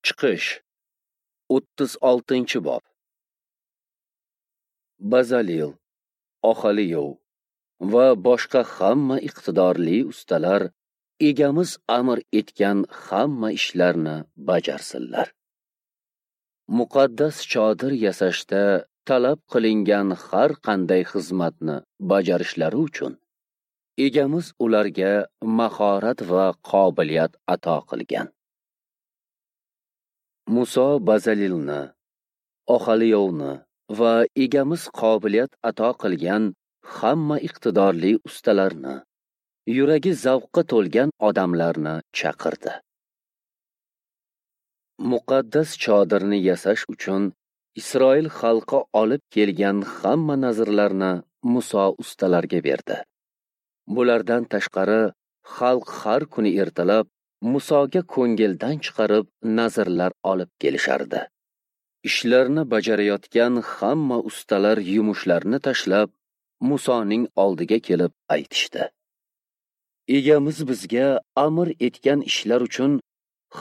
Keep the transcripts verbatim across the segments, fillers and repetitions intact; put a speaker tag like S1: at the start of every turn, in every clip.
S1: Chiqish o'ttiz oltinchi bob. Bazalil, Oholiyov va boshqa hamma iqtidorli ustalar egamiz amr etgan hamma ishlarni bajarsinlar. Muqaddas chodir yasashda talab qilingan har qanday xizmatni bajarishlari uchun egamiz ularga mahorat va qobiliyat ato qilgan. Muso Bazalilni, Oholiyovni va egamiz qobiliyat ato qilgan hamma iqtidorli ustalarni, yuragi zavqqa to'lgan odamlarni chaqirdi. Muqaddas chodirni yasash uchun Isroil xalqi olib kelgan hamma nazrlarni Muso ustalarga berdi. Bulardan tashqari xalq har kuni ertalab Musoga ko'ngildan chiqarib nazrlar olib kelishardi. Ishlarni bajarayotgan hamma ustalar yumushlarni tashlab Musoning oldiga kelib aytishdi: Egamiz bizga amr etgan ishlar uchun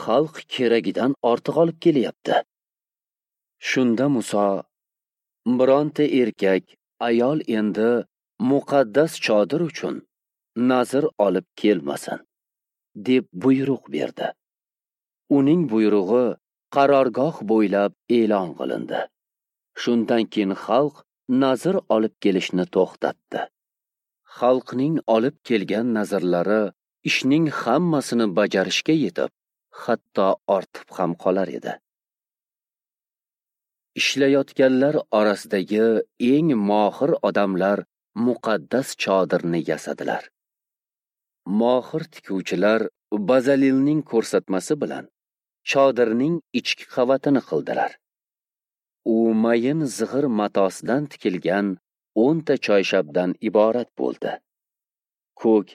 S1: xalq keragidan ortiq olib kelyapti. Shunda Muso: bironta erkak, ayol endi muqaddas chodir uchun nazr olib kelmasin, deb buyruq berdi. Uning buyrug'i qarorgoh bo'ylab e'lon qilindi. Shundan keyin xalq nazr olib kelishni to'xtatdi. Xalqning olib kelgan nazrlari ishning hammasini bajarishga yetib, hatto ortib ham qolar edi. Ishlayotganlar orasidagi eng mohir odamlar muqaddas chodirni yasadilar. Mohir tikuvchilar Bazalilning ko'rsatmasi bilan chodirning ichki qavatini qildilar. U mayin zig'ir matosidan tikilgan o'nta choyshabdan iborat bo'ldi. Ko'k,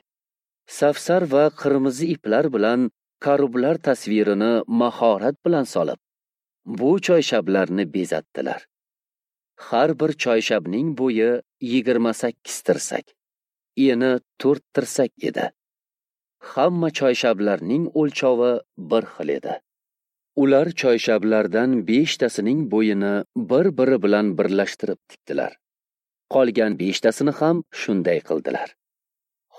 S1: safsar va qirmizi iplar bilan karublar tasvirini mahorat bilan solib, bu choyshablarni bezatdilar. Har bir choyshabning bo'yi yigirma sakkiz tirsak, eni to'rt tirsak edi. Hamma choyshablarning o'lchovi bir xil edi. Ular choyshablardan beshtasining bo'yini bir-biri bilan birlashtirib tikdilar. Qolgan beshtasini ham shunday qildilar.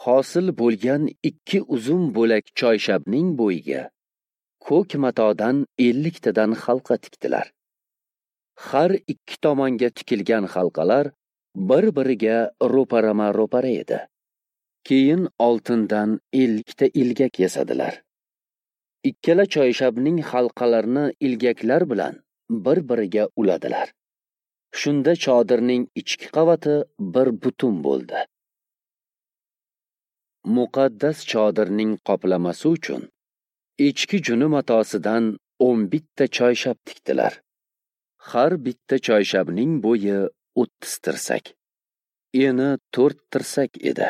S1: Hosil bo'lgan ikki uzun bo'lak choyshabning bo'yiga ko'k matodan elliktadan halqa tikdilar. Har ikki tomonga tikilgan halqalar bir-biriga ro'parama-ro'para edi. Keyin oltindan ellikta ilgak yasadilar. Ikkala choyshabning halqalarini ilgaklar bilan bir-biriga uladilar. Shunda chodirning ichki qavati bir butun bo'ldi. Muqaddas chodirning qoplamasi uchun echki juni matosidan o'n bitta choyshab tikdilar. Har bitta choyshabning bo'yi o'ttiz tirsak, eni to'rt tirsak edi.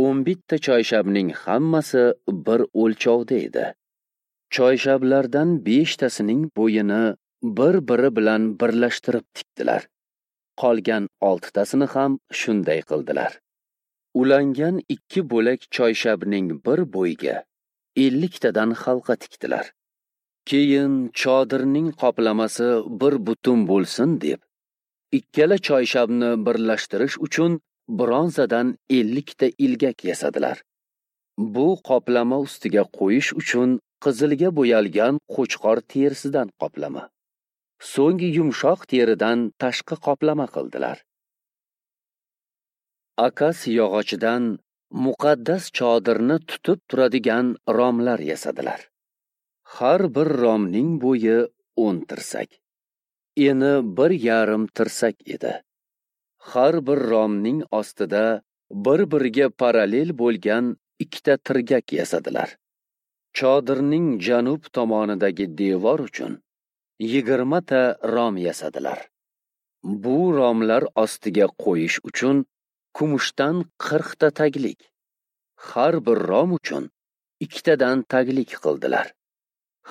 S1: O'n bitta choyshabning hammasi bir o'lchovda edi. Choyshablardan beshtasining bo'yini bir-biri bilan birlashtirib tikdilar. Qolgan oltitasini ham shunday qildilar. Ulangan ikki bo'lak choyshabning bir bo'yiga elliktadan halqa tikdilar. Keyin chodirning qoplamasi bir butun bo'lsin deb, ikkala choyshabni birlashtirish uchun bronzadan ellikta ilgak yasadilar. Bu qoplama ustiga qo'yish uchun qizilga bo'yalgan qo'chqor terisidan qoplama, so'ng yumshoq teridan tashqi qoplama qildilar. Akas yog'ochidan muqaddas chodirni tutib turadigan romlar yasadilar. Har bir romning bo'yi o'n tirsak, eni bir yarim tirsak edi. Har bir romning ostida bir-biriga parallel bo'lgan ikkita tirgak yasadilar. Chodirning janub tomonidagi devor uchun yigirmata rom yasadilar. Bu romlar ostiga qo'yish uchun kumushdan qirqta taglik, har bir rom uchun ikkitadan taglik qildilar.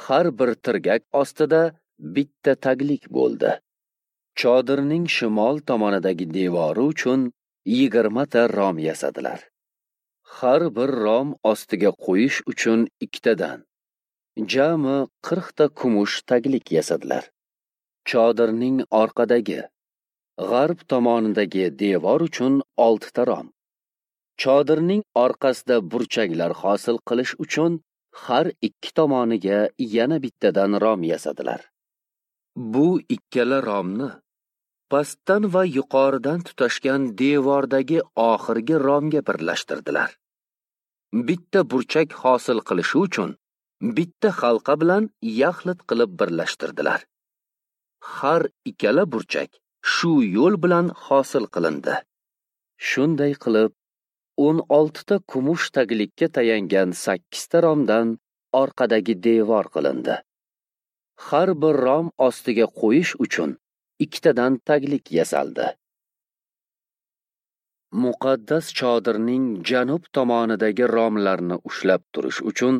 S1: Har bir tirgak ostida bitta taglik bo'ldi. Chodirning shimol tomonidagi devori uchun yigirmata rom yasadilar. Har bir rom ostiga qo'yish uchun ikkitadan, jami qirqta kumush taglik yasadilar. Chodirning orqadagi, g'arb tomonidagi devor uchun oltita rom. Chodirning orqasida burchaklar hosil qilish uchun har ikki tomoniga yana bittadan rom yasadilar. Bu ikkala romni pastdan va yuqoridan tutashgan devordagi oxirgi romga birlashtirdilar. Bitta burchak hosil qilishi uchun bitta halqa bilan yaxlit qilib birlashtirdilar. Har ikkala burchak shu yo'l bilan hosil qilindi. Shunday qilib, o'n oltita kumush taglikka tayangan sakkizta romdan orqadagi devor qilindi. Har bir rom ostiga qo'yish uchun ikkitadan taglik yasaldi. Muqaddas chodirning janub tomonidagi romlarni ushlab turish uchun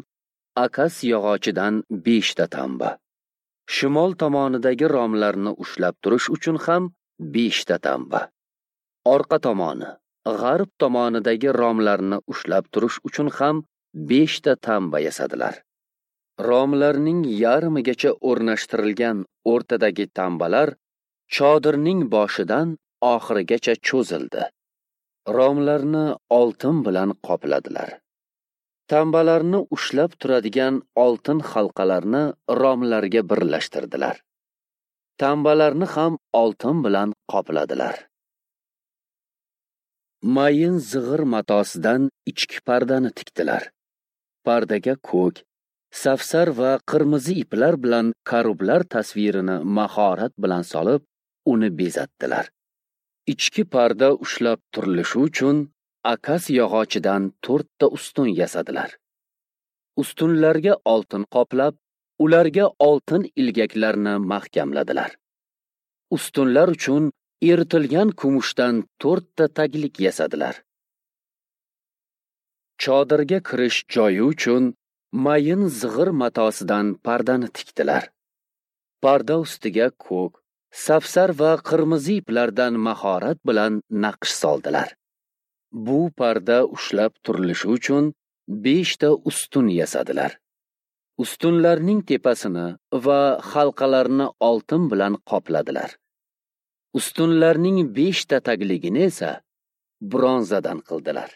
S1: akas yog'ochidan beshta tamba, shimol tomonidagi romlarni ushlab turish uchun ham beshta tamba, orqa tomoni, g'arb tomonidagi romlarni ushlab turish uchun ham beshta tamba yasadilar. Romlarning yarmigacha o'rnashtirilgan o'rtadagi tambalar chodirning boshidan oxirigacha cho'zildi. Romlarni oltin bilan qopladilar. Tambalarni ushlab turadigan oltin halqalarni romlarga birlashtirdilar. Tambalarni ham oltin bilan qopladilar. Mayin zig'ir matosidan ichki pardani tikdilar. Pardaga ko'k, safsar va qirmizi iplar bilan karublar tasvirini mahorat bilan solib, uni bezatdilar. Ichki parda ushlab turilishi uchun akas yog'ochidan to'rtta ustun yasadilar. Ustunlarga oltin qoplab, ularga oltin ilgaklarni mahkamladilar. Ustunlar uchun eritilgan kumushdan to'rtta taglik yasadilar. Chodirga kirish joyi uchun mayin zig'ir matosidan pardani tikdilar. Parda ustiga ko'k, safsar va qirmizi iplardan mahorat bilan naqsh soldilar. Bu parda ushlab turilishi uchun beshta ustun yasadilar. Ustunlarning tepasini va halqalarini oltin bilan qopladilar. Ustunlarning beshta tagligini esa bronzadan qildilar.